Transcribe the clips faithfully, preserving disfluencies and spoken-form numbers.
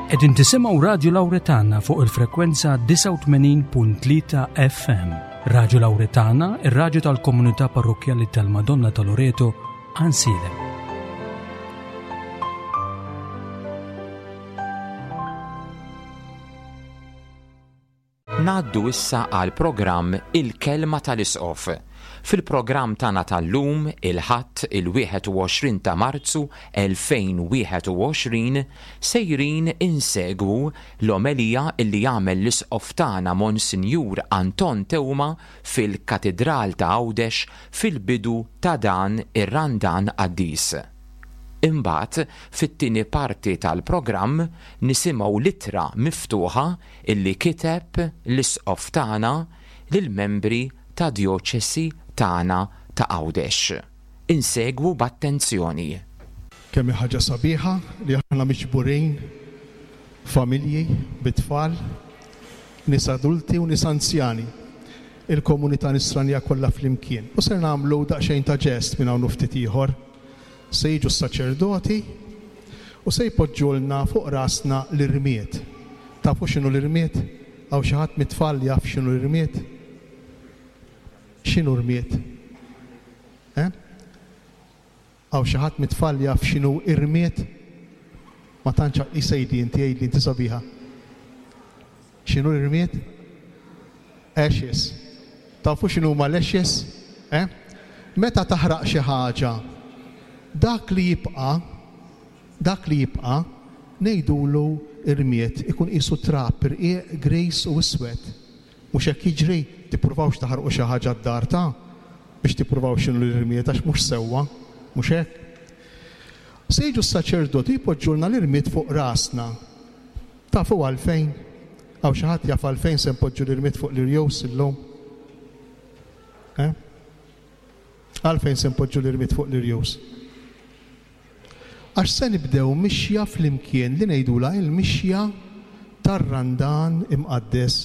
Qegħdin tisimgħu Radju Lawretana fuq il-frekwenza disgħa u tmenin punt tlieta F M. Radju Lawretana, ir-radju tal-komunità parrokkjali tal-Madonna ta' Loreto, Għajnsielem. Ngħaddu issa għal programm Il-Kelma tal-Isqof. Fil-programm tagħna tal-lum, il-Ħadd il-wieħed u għoxrin ta' Marzu elfejn u wieħed u għoxrin, sejrin insegwu l-omelija illi jagħmel l-Isqof tagħna Monsinjur Anton Teuma fil-Katidral ta' Għawdex fil-bidu ta' dan ir-Randan Qaddis. Imbagħad, fit-tieni parti tal-programm nisimgħu l-ittra miftuħa illi kiteb l-Isqof tagħna lill-membri ta' djoċesi tagħna ta' Għawdex. Insegwu b'attenzjoni. Kemm hi ħaġa sabiħa li aħna miġburin familji bit-tfal, nies adulti u nies anzjani, il-komunità nisranija kollha flimkien. U ser nagħmlu daqsxejn ta' ġest minn hawn u ftit ieħor. Se jiġu s-saċerdoti u se jpoġġulna fuq rasna l-irmied. Tafu x'inhu l-irmied? Hawn xi ħadd mit-tfal jaf x'inhu l-irmied? X'inhu rmied? Eh? Hawn xi ħadd mit-tfal jaf x'inhu irmied? Ma tantx isejdi inti, għidli inti sabiħa. X'inhu l-irmied? Ashes. Tafu x'inhu huma l-ashes? Eh? Meta taħraq xi ħaġa, dak li jibqa', dak li jibqa' ngħidulu irmied, ikun qisu trab, irqiq, gris u iswed. Mhux hekk jiġri, tippruvawx taħarqu xi ħaġa d-dar ta' biex tippruvaw x'inhu l-irmied għax mhux sewwa, mhux hekk. Se jiġu s-saċerdoti jpoġġulna l-irmied fuq rasna. Tafu għalfejn? Hawn xi ħadd jaf għalfejn se npoġġu l-irmied fuq l-irjus illum? Eh? Għalfejn se npoġġu l-irmied fuq l-irjus? Għax se nibdew mixja flimkien li ngħidulha il-mixja tar-Randan imqaddes.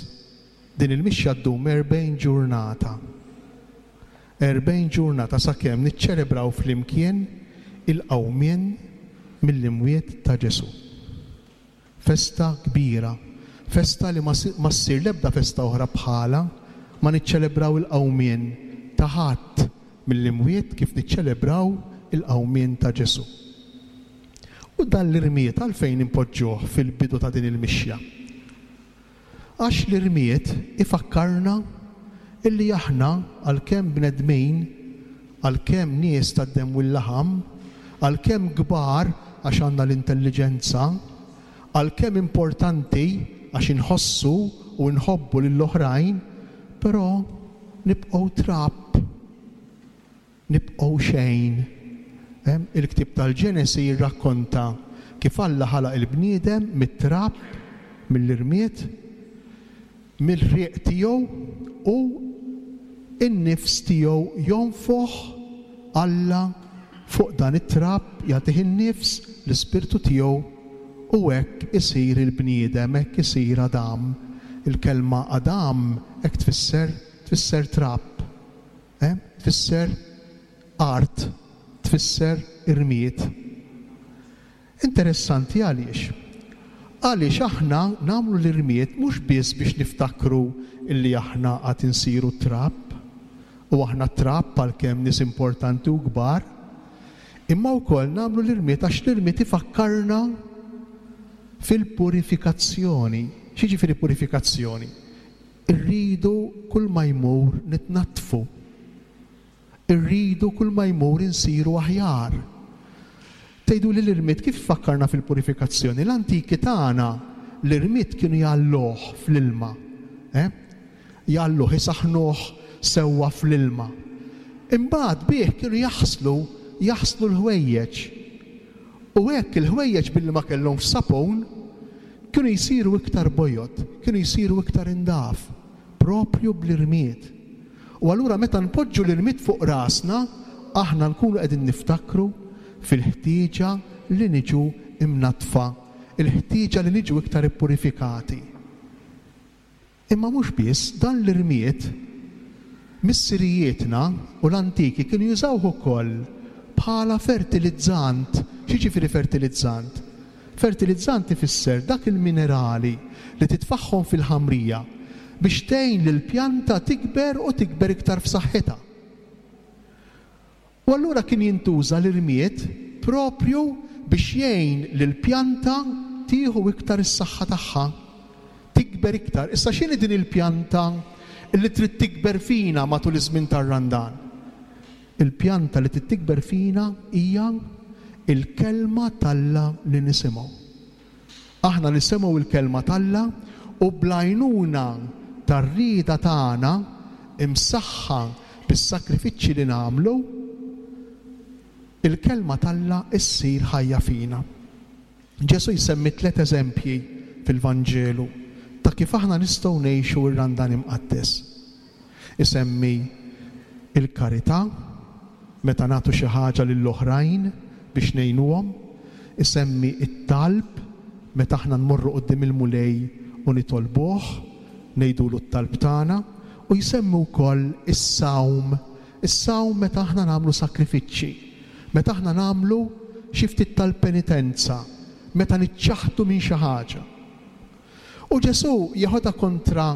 Din il-mixja ddum erbgħin ġurnata. Erbgħin ġurnata sakemm niċċelebraw flimkien il-qawmien mill-imwiet ta' Ġesù. Festa kbira, festa li ma si-, ma ssir l-ebda festa oħra bħala, ma niċċelebraw il-qawmien ta' ħadd mill-imwiet kif niċċelebraw il-qawmien ta' Ġesù. U dan l-irmied għalfejn impoġġuh fil-bidu ta' din il-mixja? Għax l-irmied ifakkarna illi aħna għalkemm bnedmin, għalkemm nies tad-demm u l-laħam, għalkemm kbar għax għandna l-intelligenza, għalkemm importanti għax inħossu u nħobbu lill-oħrajn, però nibqgħu trab, nibqgħu xejn. Em, il-ktieb tal-Ġenesi jirrakkonta kif Alla ħalaq il-bniedem mit-trab, mill-irmied, mill-riq tiegħu u n-nifs tiegħu jonfoħ Alla fuq dan it-trab, jagħtih in-nifs, l-ispirtu tiegħu, u hekk isir il-bniedem, hekk isir Adam. Il-kelma Adam hekk tfisser, tfisser trab, eh? Tfisser art, tfisser irmied. Interessanti għaliex? Għaliex aħna nagħmlu l-irmied mhux biss biex niftakru illi aħna għad insiru trab, u aħna trab għalkemm nies importanti u kbar, imma wkoll nagħmlu l-irmied għax l-irmied ifakkarna fil-purifikazzjoni. X'jiġifieri purifikazzjoni? Irridu kull ma jmur nitnaddfu. Irridu kull ma jmur insiru aħjar. Tgħidu li l-irmied kif fakkarna fil-purifikazzjoni? L-antiki tagħna l-irmied kienu jgħalluh fl-ilma. Eh? Jgħalluh, isaħnuh sewwa fl-ilma. Imbagħad bih kienu jaħslu, jaħslu l-ħwejjeġ. U hekk il-ħwejjeġ billi ma kellhomx sapun kienu jsiru iktar bojod, kienu jsiru iktar indaf, propju bl-irmied. U allura meta npoġġu l-irmied fuq rasna, aħna nkunu qegħdin niftakru fil-ħtieġa li niġu imnatfa, il-ħtieġa li niġu iktar ippurifikati. Imma mhux biss, dan l-irmied missirijietna u l-antiki kienu jużawh ukoll bħala fertilizzant. X'jiġifieri fertilizzant? Fertilizzant ifisser dak il-minerali li titfaħħom fil-ħamrija biex tgħin lill-pjanta tikber u tikber iktar f'saħħitha. U allura kien jintuża l-irmied propju biex jgħin lill-pjanta tieħu iktar is-saħħa tagħha, tikber iktar. Issa x'inhi din il-pjanta li trid tikber fina matul iż-żmien tar-Randan? Il-pjanta li trid tikber fina hija il-kelma t'Alla li nisimgħu. Aħna nisimgħu il-kelma t'Alla u bl-għajnuna tar-rieda tagħna imsaħħa bis-sakrifiċċji li nagħmlu, il-kelma t'Alla ssir ħajja fina. Ġesù jsemmi tliet eżempji fil-Vanġelu ta' kif aħna nistgħu ngħixu r-Randan imqaddes. Isemmi il-karità, meta nagħtu xi ħaġa lill-oħrajn biex ngħinuhom, isemmi it-talb meta aħna nmorru quddiem il-Mulej u nitolbuh, ngħidulu t-talb tagħna, u jsemmi wkoll is-sawm, is-sawm meta aħna nagħmlu sakrifiċċji, meta aħna nagħmlu xi ftit tal-penitenza, meta niċċaħdu minn xi ħaġa. U Ġesù jeħodha kontra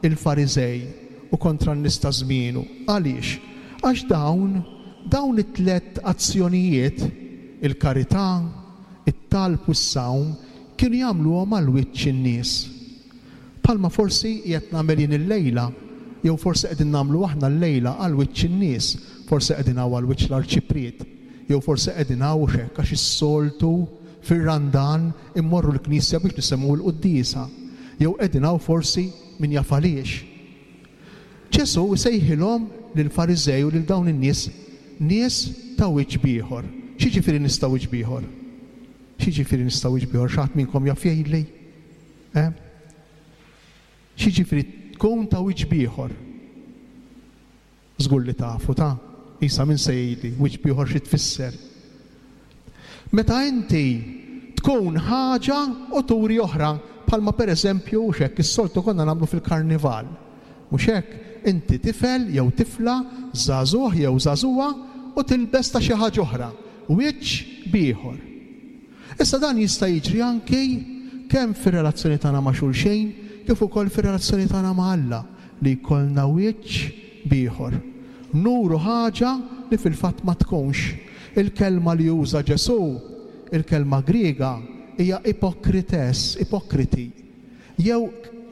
il-Fariżej u kontra n-nies ta' żmienu. Għaliex? Għax dawn, dawn it-tliet azzjonijiet, il-karità, it-talb u s-sawm, kienu jagħmluhom għal wiċċ in-nies. Palma forsi qed nagħmel jien illejla, jew forsi qegħdin nagħmlu aħna llejla għal wiċċ in-nies, forsi qegħdin hawn għal wiċċ l-arċipriet, jew forsi qegħdin hawn hekk għax is-soltu fir-Randan immorru l-knisja biex nisimgħu l-quddiesa, jew qegħdin hawn forsi min jaf għaliex. Ġesù jsejħilhom lill-Fariżej u lil dawn in-nies nies ta' wiċċ b'ieħor. X'jiġifieri nies ta' wiċċ b'ieħor? X'jiġifieri nies ta' wiċċ b'ieħor? Xi ħadd minnkom jaf jgħidli? Eh? X'jiġifieri tkun ta' wiċċ b'ieħor? Żgur li tafu ta' Isa min se jgħidli wiċċ b'ieħor xi tfisser? Meta inti tkun ħaġa u turi oħra, bħalma pereżempju hux hekk is-soltu konna nagħmlu fil-karnival. Mhux hekk, inti tifel jew tifla, żagħżugħ jew żagħżugħa u tilbes ta' xi ħaġa oħra, wiċċ b'ieħor. Issa dan jista' jiġri anki kemm fir-relazzjoni tagħna ma' xulxin, kif ukoll fir-relazzjoni tagħna ma' Alla, li jkollna wiċċ b'ieħor. Nuru ħaġa li fil-fatt ma tkunx. Il-kelma li juża Ġesù, il-kelma Griega, hija ipokrites, ipokriti. Jew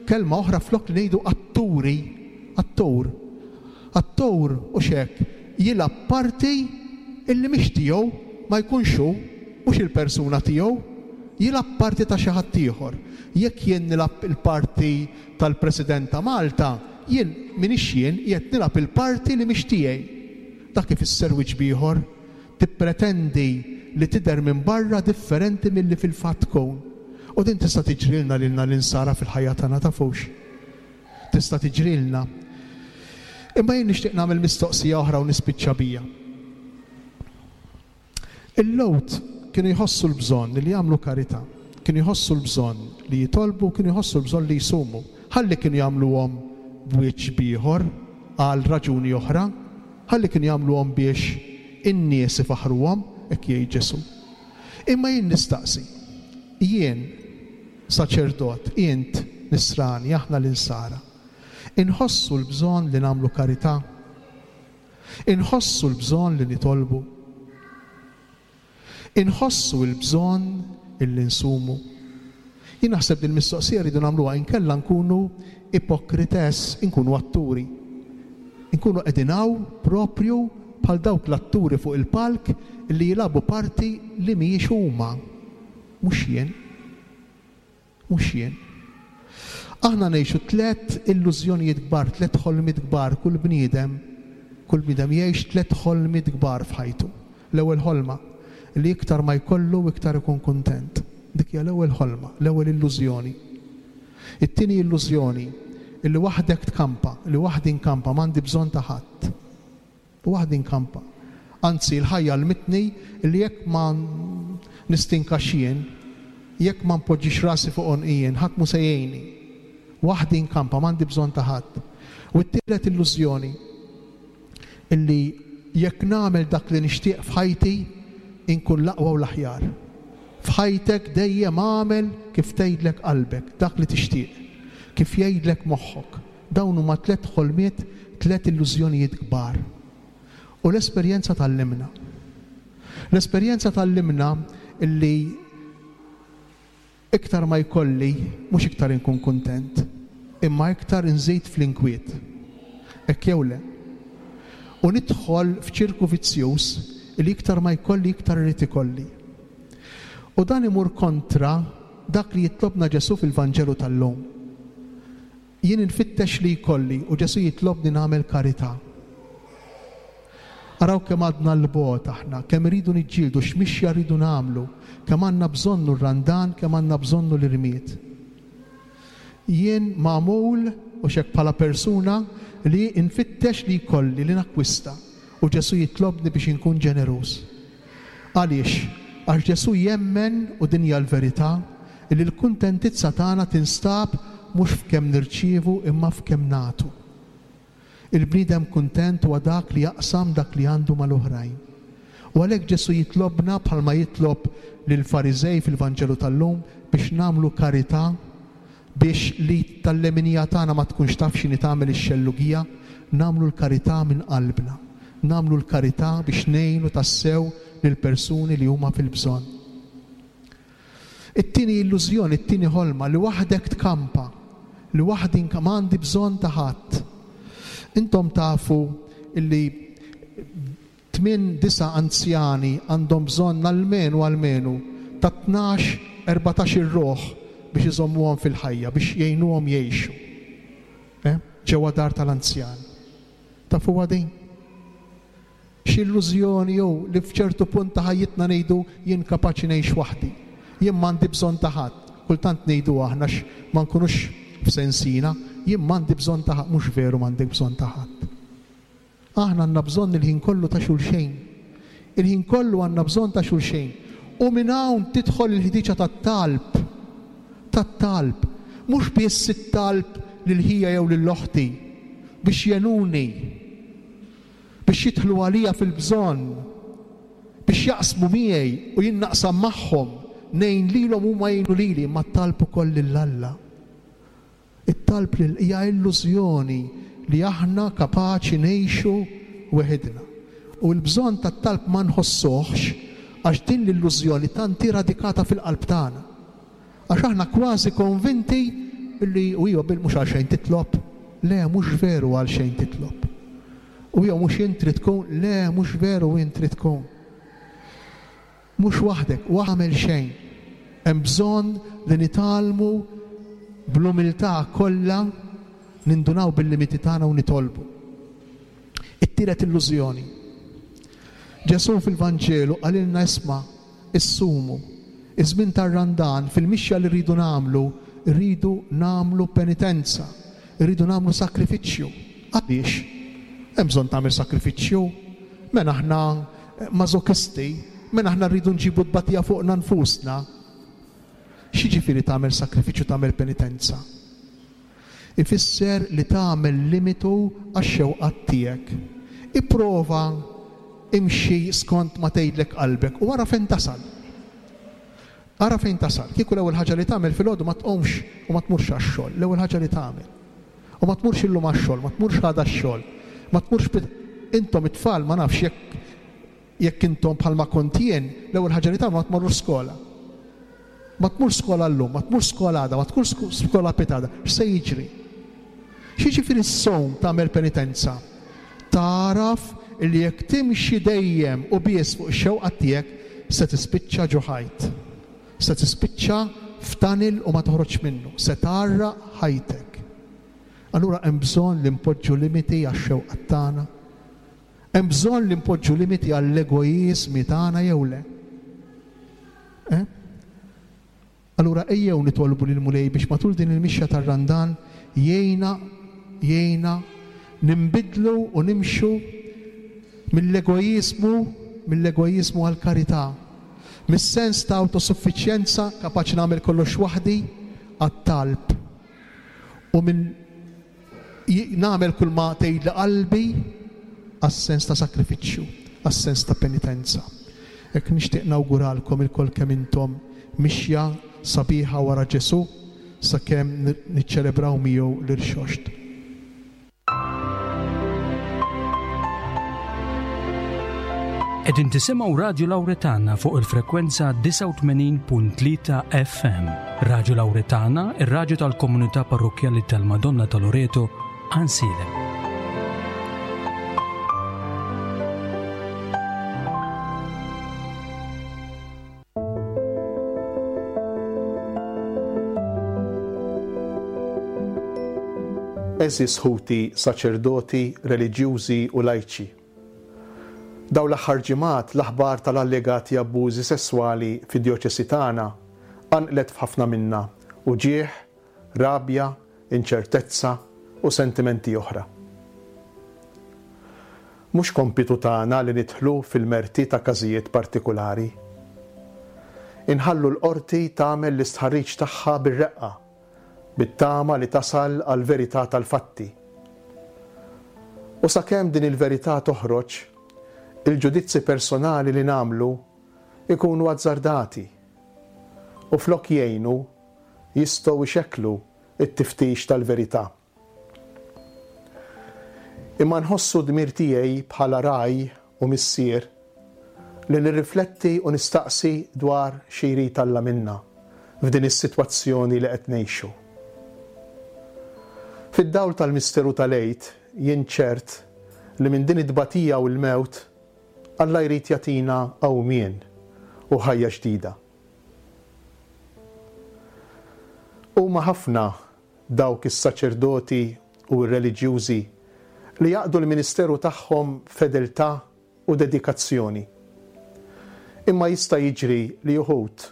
kelma oħra flok li ngħidu atturi, attur. Attur u xek jilgħab parti illi mhix tiegħu, ma jkunx hu, mhux il-persuna tiegħu, jilgħab parti ta' xi ħadd ieħor. Jekk jien nilgħab il-parti tal-President ta' Malta, jien m'iniex jien, qiegħed nilgħab il-parti li mhix tiegħi. Dak ifisser wiċċ b'ieħor, tippretendi li tidher minn barra differenti milli fil-fatt tkun. U din tista' tiġrilna lilna l-insara fil-ħajja tagħna, tafux. Tista' tiġrilna. Imma jien nixtieq nagħmel mistoqsija oħra u nispiċċa bija. Il-Lhud kienu jħossu l-bżonn li jagħmlu karità, kienu jħossu l-bżonn li jitolbu, kienu jħossu l-bżonn li jsumu. Ħalli kienu jagħmluhom b'wiċċ b'ieħor għal raġuni oħra, ħalli kienu jagħmluhom biex in-nies ifaħruhom, hekk jgħid Ġesù. Imma jien nistaqsi, jien saċerdot, int nisrani, aħna l-insara, inħossu l-bżonn li nagħmlu karità, inħossu l-bżonn li nitolbu, inħossu l-bżonn illi nsumu. Jien naħseb din il-mistoqsija rridu nagħmluha, inkella nkunu ipokrites, inkunu atturi. Inkunu qegħdin hawn propju bħal dawk l-atturi fuq il-palk li jilagħbu parti li mhijiex huma. Mhux jien. Mhux jien. Aħna ngħixu tliet illużjonijiet kbar, tliet ħolmiet kbar, kull bniedem, kull bniedem jgħix tliet ħolmiet kbar f'ħajtu. L-ewwel ħolma, li iktar ma jkollu iktar ikun kuntent. Dik hija l-ewwel ħolma, l-ewwel illużjoni. It-tieni illużjoni, illi waħdek tkampa, li waħdi nkampa, m'għandi bżonn ta' ħadd. Waħdi nkampa. Anzi, l-ħajja għallmitni li jekk ma nistinkax jien, jekk ma npoġġix rasi fuq għonqi jien, ħadd mhu se jgħinni. Waħdi nkampa, m'għandi bżonn ta' ħadd. U t-tielet illużjoni, illi jekk nagħmel dak li nixtieq f'ħajti, inkun l-aqwa u l-aħjar. F'ħajtek dejjem għamel kif tgħidlek qalbek, dak li tixtieq, kif jgħidlek moħħok. Dawn huma tliet ħolmiet, tliet illużjonijiet kbar. U l-esperjenza tgħallimna. L-esperjenza tgħallimna illi iktar ma jkolli, mhux iktar inkun kuntent, imma iktar inżid fl-inkwiet. Hekk jew le? U nidħol f'ċirku vizzjuż li iktar ma jkolli, iktar irid ikolli. U dan imur kontra dak li jitlobna Ġesù fil-Vanġelu tal-lum. Jien infittex li jkolli u Ġesù jitlobni nagħmel karità. Araw kemm għadna l-bogħod aħna, kemm iridu niġġieldu, x'mixja rridu nagħmlu, kemm għandna bżonnu r-Randan, kemm għandna bżonnu l-irmied. Jien magħmul u xek bħala persuna li nfittex li jkolli, li nakkwista, u Ġesù jitlobni biex inkun ġeneruż. Għaliex? Għax Ġesù jemmen, u din hija l-verità, li l-kuntentizza tagħna tinstab mhux f'kemm nirċievu imma f'kemm nagħtu. Il-bniedem kuntent huwa dak li jaqsam dak li għandu mal-oħrajn. U għalhekk Ġesù jitlobna bħalma jitlob lill-Fariżej fil-Vanġelu tal-lum biex nagħmlu karità, biex li tal-leminija tagħna ma tkunx taf x'inhi tagħmel ix-xellugija, nagħmlu l-karità minn qalbna. Nagħmlu l-karità biex ngħinu tassew lill-persuni li huma fil-bżonn. It-tieni illużjoni, it-tieni ħolma li waħdek tkampa, li waħdi ma għandi bżonn ta' ħadd. Intom tafu illi tmien disa' anzjani għandhom bżonn almenu almenu ta' tnax, erbatax ir-ruħ biex iżommuhom fil-ħajja, biex jgħinuhom jgħixu. Eh? Ġewwa dar tal-anzjan. Tafuha din? X'illużjoni jew li f'ċertu punt ta' ħajjitna ngħidu jien kapaċi ngħix waħdi, jien m'għandi bżonn ta' ħadd. Kultant ngħidu aħna ma nkunux f'sensina, jien m'għandi bżonn ta' ħadd, mhux veru m'għandek bżonn ta' ħadd. Aħna għandna bżonn il-ħin kollu ta' xulxejn. Il-ħin kollu għandna bżonn ta' xulxejn. U minn hawn tidħol il-ħdiċa tat-talb. Tat-talb. Mhux biss it-talb lil ħija jew lil oħti biex jenuni, biex jidħlu għalija fil-bżonn, biex jaqsmu miegħi u jien naqsam magħhom, ngħin lilhom huma jgħinu lili, imma t-talb ukoll lil Alla. It-talb lil hija illużjoni li aħna kapaċi ngħixu weħidna. U l-bżonn tat-talb ma nħossuhx għax din l-illużjoni tant hi radikata fil-qalb tagħna. Għax aħna kważi konvinti li u jew bil mhux għal xejn titlob. Le, mhux veru għal xejn titlob. U jew mhux int trid tkun, le, mhux veru int trid tkun. Mhux waħdek, u għamel xejn. Hemm bżonn li nitgħallmu bl-umiltà kollha nindunaw bil-limiti tagħna u nitolbu. It-tielet illużjoni. Ġesù fil-Vanġelu qalilna isma' issumu. Iż-żmien tar-Randan fil-mixja li rridu nagħmlu, rridu nagħmlu penitenza, rridu nagħmlu sakrifiċċju. Għaliex? Hemm bżonn tagħmel sakrifiċċju. Mela aħna mażokisti, mela aħna rridu nġibu tbatija fuqna nfusna. X'jiġifieri tagħmel sakrifiċċju, tagħmel penitenza? Ifisser li tagħmel limitu għax-xewqat tiegħek. Ipprova imxi skont ma tgħidlek qalbek u ara fejn tasal. Ara fejn tasal. Kieku l-ewwel ħaġa li tagħmel filgħodu ma tqumx u ma tmurx għax-xogħol, l-ewwel ħaġa li tagħmel. U ma tmurx illum għax-xogħol, ma tmurx għada x-xogħol, ma tmurx intom it-tfal ma nafx jekk jekk intom bħalma kont jien, l-ewwel ħaġa li tagħmel ma tmorrux skola. Ma tmurx skola llum, ma tmurx skola għada, ma tmurx skola pitada, x'se jiġri? X'jiġifieri s-sowm tagħmel penitenza? Taraf li jekk timxi dejjem u biss fuq ix-xewqa tiegħek se tispiċċa ġo ħajt. Se tispiċċa f'tanil u ma toħroġ minnu, se tgħarraq ħajtek. Allura hemm bżonn li npoġġu limiti għax-xewqa tagħna. Hemm bżonn li npoġġu limiti għall-egoiżmi tagħna jew le. Eh? Allura ejjew nitolbu lil Mulej biex matul din il-mixja tar-Randan jgħinna jgħinna nimbidlu u nimxu mill-egoiżmu mill-egoiżmu għall-karità. Mis-sens ta' autosuffiċjenza kapaċi nagħmel kollox waħdi għat-talb. U minn nagħmel kull ma tgħidli qalbi għas-sens ta' sakrifiċċju, għas-sens ta' penitenza. Hekk nixtieq nawguralkom ilkoll kemm intom mixja sabiħa wara Ġesù sakemm niċċelebraw miegħu l-irxoxt. Qegħdin tisimgħu Radju Lawretana fuq il-frekwenza disgħa u tmenin punt tlieta F M. Radju Lawretana, ir-radju tal-komunità parrokkjali tal-Madonna ta' Loreto, Għajnsielem. Għeżież ħuti, saċerdoti, reliġjużi u lajċi. Daw l-aħħar ġimgħat l-aħbar tal-allegati abbużi sesswali fid-djoċesi tagħna qanqlet f'ħafna minna uġieħ, rabja, inċertezza u sentimenti oħra. Mhux kompitu tagħna li nidħlu fil-merti ta' każijiet partikulari. Inħallu l-qorti tagħmel l-istħarriġ tagħha bir-reqqa, bit-tama li tasal għal-verità tal-fatti. U sakemm din il-verità toħroġ, il-ġudizzi personali li nagħmlu ikunu azzardati u flok jgħinu jistgħu jxekklu it-tiftix tal-verità. Imma nħossu dmir tiegħi bħala ragħaj u missier li nirrifletti u nistaqsi dwar xi jrid Alla minna f'din is-sitwazzjoni li qed ngħixu. Fid-dawl tal-misteru tal-Għid jien ċert li minn din it-tbatija u l-mewt Alla jrid jagħtina qawmien u ħajja ġdida. Huma ħafna dawk is-saċerdoti u r-reliġjużi li jaqdu l-ministeru tagħhom b'fedeltà u dedikazzjoni. Imma jista' jiġri li uħud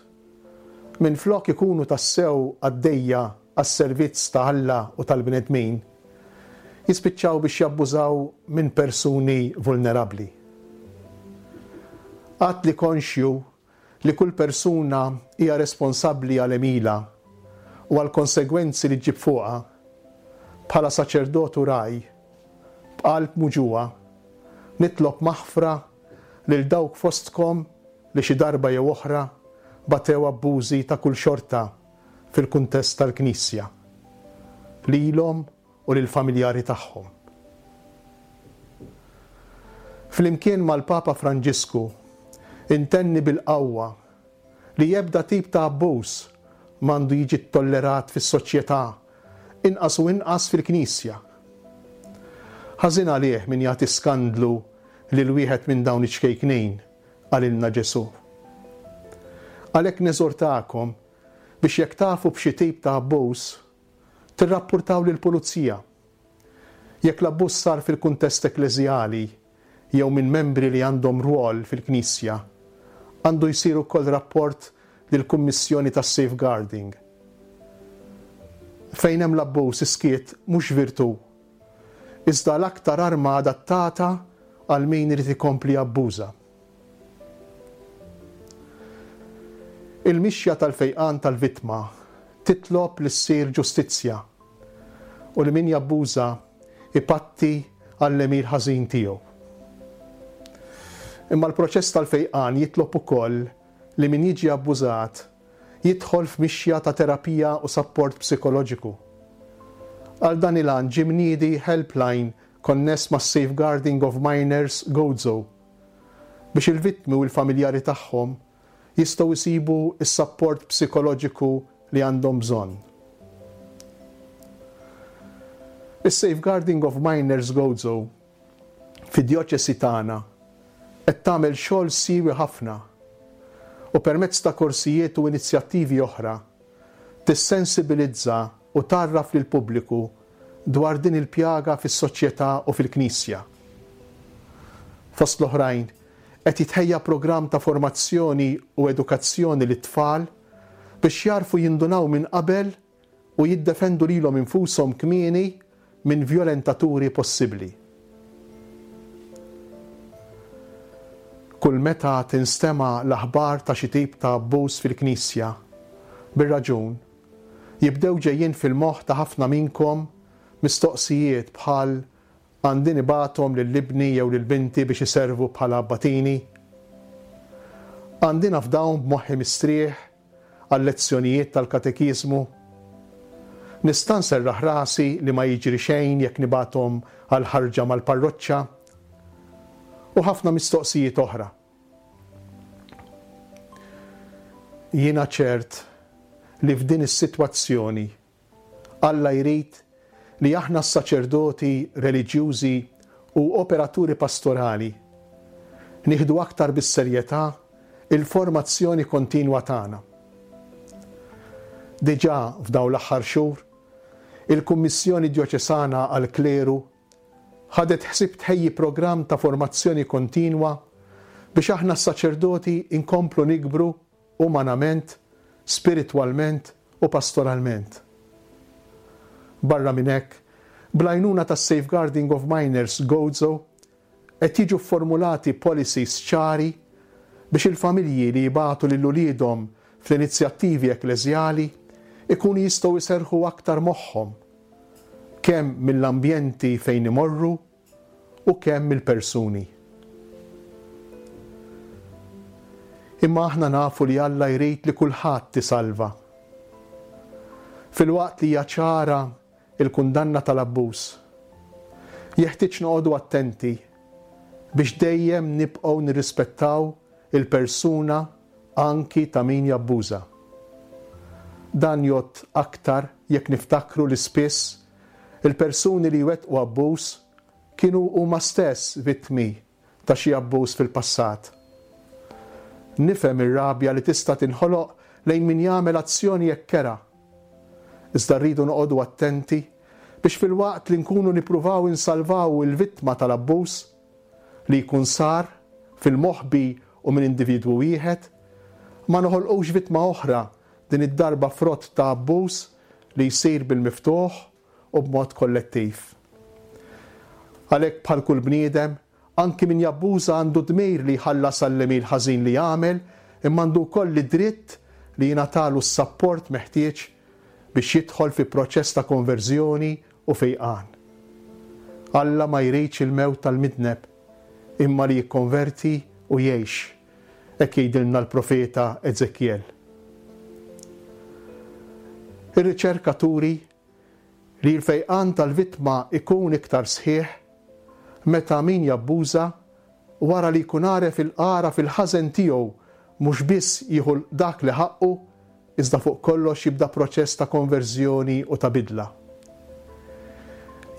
minflok ikunu tassew għaddejja għas-servizz ta' Alla u tal-bnedmin, jispiċċaw biex jabbużaw minn persuni vulnerabbli. Għad li konxju li kull persuna hija responsabbli għal għemilha u għal konsegwenzi li ġġib fuqha, bħala saċerdot u ragħaj, b'qalb muġugħa, nitlob maħfra lil dawk fostkom li xi darba jew oħra batew abbużi ta' kull xorta fil-kuntest tal-Knisja, lilhom u lill-familjari tagħhom. Flimkien mal-Papa Franġisku intenni bil-qawwa li ebda tip ta' abbuż m'għandu jiġi ttollerat fis-soċjetà, inqas u inqas fil-Knisja. Ħażin għalih min jagħti skandlu lil wieħed minn dawn iċ-ċkejknin, qalilna Ġesù. Għalhekk neżortakom biex jekk tafu b'xi tip ta' abbuż, tirrappurtaw lill-pulizija. Jekk l-abbuż sar fil-kuntest ekkleżjali jew minn membri li għandhom rwol fil-Knisja, għandu jsir ukoll rapport lill-Kummissjoni tas-Safeguarding. Fejn hemm l-abbuż iskiet mhux virtù, iżda l-aktar arma adattata għal min irid ikompli jabbuża. Il-mixja tal-fejqan tal-vittma titlob li ssir ġustizzja u li min jabbuża ipatti għall-għemil ħażin tiegħu. Imma l-proċess tal-fejqan jitlob ukoll li min jiġi abbużat jidħol f'mixja ta' terapija u sapport psikoloġiku. Għal dan il-għan ġie mniedi helpline konness ma' Safeguarding of Minors Gozo biex il-vittmi u l-familjari tagħhom jistgħu jsibu s-sapport psikoloġiku li għandhom bżonn. Is-Safeguarding of Minors Gozo fid-djoċesi tagħna qed tagħmel xogħol siewi ħafna u permezz ta' korsijiet u inizjattivi oħra tissensibilizza u tgħarraf lill-pubbliku dwar din il-pjaga fis-soċjetà u fil-Knisja. Fost l-oħrajn, qed jitħejja programm ta' formazzjoni u edukazzjoni lit-tfal biex jarfu jindunaw minn qabel u jiddefendu lilhom infushom kmieni minn violentaturi possibbli. Kull meta tinstema' l-aħbar ta' xi tip ta' abbuż fil-Knisja, bir-raġun, jibdew ġejjin fil-moħħ ta' ħafna minnkom mistoqsijiet bħal għandi nibgħathom lil ibni jew lil binti biex iservu bħala abbatini? Għandi nafdawhom b'moħħi mistrieħ għal-lezzjonijiet tal-katekiżmu? Nista' nserraħ rasi li ma jiġri xejn jekk nibgħathom għal ħarġa mal-parroċċa? U ħafna mistoqsijiet oħra. Jiena ċert li f'din is-sitwazzjoni Alla jrid li aħna s-saċerdoti reliġjużi u operaturi pastorali nieħdu aktar bis-serjetà il-formazzjoni kontinwa tagħna. Diġà f'dawn l-aħħar xhur, il-Kummissjoni Djoċesana għall-Kleru ħadet ħsieb tħejji programm ta' formazzjoni kontinwa biex aħna s-saċerdoti inkomplu nikbru umanament, spiritwalment u pastoralment. Barra minn hekk, bl-għajnuna tas-Safeguarding of Minors Gozo qed jiġu fformulati policies ċari biex il-familji li jibagħtu lil uliedhom fl-inizjattivi ekkleżjali ikunu jistgħu jserrħu aktar moħħhom kemm mill-ambjenti fejn imorru u kemm mill-persuni. Imma aħna nafu li Alla jrid li kulħadd isalva. Filwaqt li hija ċara il-kundanna tal-abbuż, jeħtieġ noqogħdu attenti biex dejjem nibqgħu nirrispettaw il-persuna anki ta' min jabbuża. Dan jgħodd aktar jekk niftakru li spiss il-persuni li jwettqu abbuż kienu huma stess vittmi ta' xi abbuż fil-passat. Nifhem ir-rabja li tista' tinħoloq lejn min jagħmel azzjoni hekk kerha. Iżda rridu noqogħdu attenti biex filwaqt li nkunu nippruvaw insalvaw il-vittma tal-abbuż li jkun sar fil-moħbi u minn individwu wieħed, ma noħolqux vittma oħra din id-darba frott ta' abbuż li jsir bil-miftuħ u b'mod kollettiv. Għalhekk bħal kull bniedem, anki min jabbuża għandu dmir li jħallas għall-għemil ħażin li jagħmel, imma għandu wkoll id-dritt li jingħatalu s-sapport meħtieġ biex jidħol fi proċess ta' konverżjoni u fejqan. Alla ma jridx il-mewt tal-midneb, imma li jikkonverti u jgħix, hekk jgħidilna l-profeta Ezekiel. Ir-riċerka turi li l-fejqan tal-vittma ikun iktar sħiħ meta min jabbuża wara li jkun għaref il-qara fil-ħażen tiegħu mhux biss jieħu dak li ħaqqu, iżda fuq kollox jibda proċess ta' konverżjoni u ta' bidla.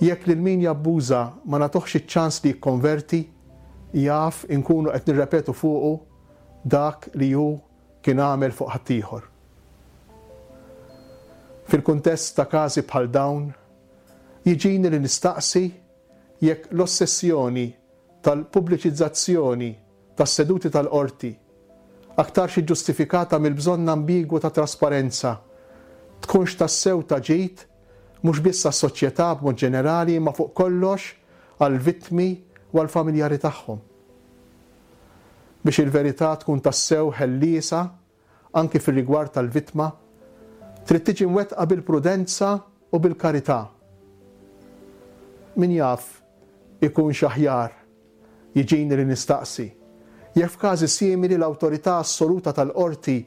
Jekk lil min jabbuża ma nagħtuhx iċ-ċans li jikkonverti, jaf inkunu qed nirrepetu fuqu dak li hu kien għamel fuq ħaddieħor. Fil-kuntest ta' każi bħal dawn, jiġini li nistaqsi jekk l-ossessjoni tal-pubbliċizzazzjoni tas-seduti tal-qorti aktarx iġġustifikata mill-bżonn ambigwu ta' trasparenza tkunx tassew ta' ġid mhux biss għas-soċjetà b'mod ġenerali imma fuq kollox għall-vittmi u għall-familjari tagħhom. Biex il-verità tkun tassew ħelliesa anki fir-rigward tal-vittma, trid tiġi mwettqa bil-prudenza u bil-karità. Min jaf ikunx aħjar jiġini li nistaqsi jekk f'każi simili l-awtorità assoluta tal-qorti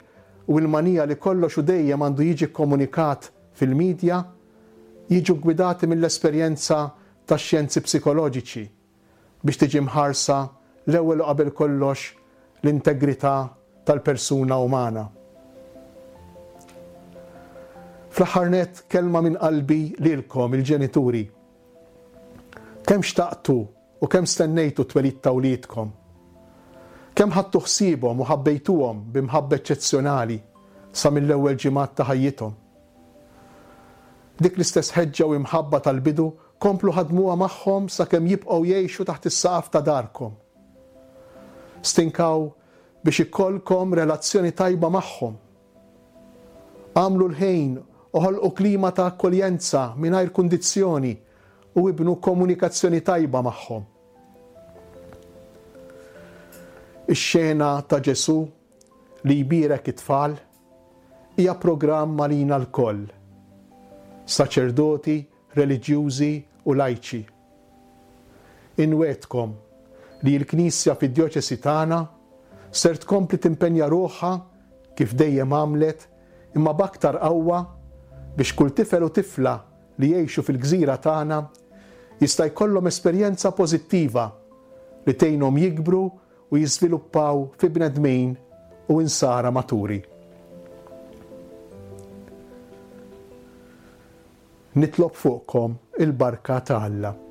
u l-manija li kollox u dejjem għandu jiġi kkomunikat fil-medja jiġu ggwidati mill-esperjenza tax-xjenzi psikoloġiċi biex tiġi mħarsa l-ewwel u qabel kollox l-integrità tal-persuna umana. Fl-aħħar nett kelma minn qalbi lilkom il-ġenituri. Kemm xtaqtu u kemm stennejtu t-twelid ta' wliedkom? Kemm ħadtu ħsiebhom u ħabbejtuhom b'imħabba eċċezzjonali sa mill-ewwel ġimgħat ta' ħajjithom? Dik l-istess ħeġġa u imħabba tal-bidu komplu ħadmuha magħhom sakemm jibqgħu jgħixu taħt is-saqaf ta' darkom. Stinkaw biex ikollkom relazzjoni tajba magħhom. Għamlu l-ħin u ħolqu klima ta' akkoljenza mingħajr kundizzjoni u ibnu komunikazzjoni tajba magħhom. Ix-xena ta' Ġesù li jbierek it-tfal hija programm għalina lkoll, saċerdoti, reliġjużi u lajċi. Inwedkom li l-Knisja fid-djoċesi tagħna ser tkompli timpenja ruħha kif dejjem għamlet imma b'aktar qawwa biex kull tifel u tifla li jgħixu fil-gżira tagħna jista' jkollhom esperjenza pożittiva li tgħinhom jikbru u jiżviluppaw fi bnedmin u insara maturi. Nitlob fuqkom il-barka ta' Alla.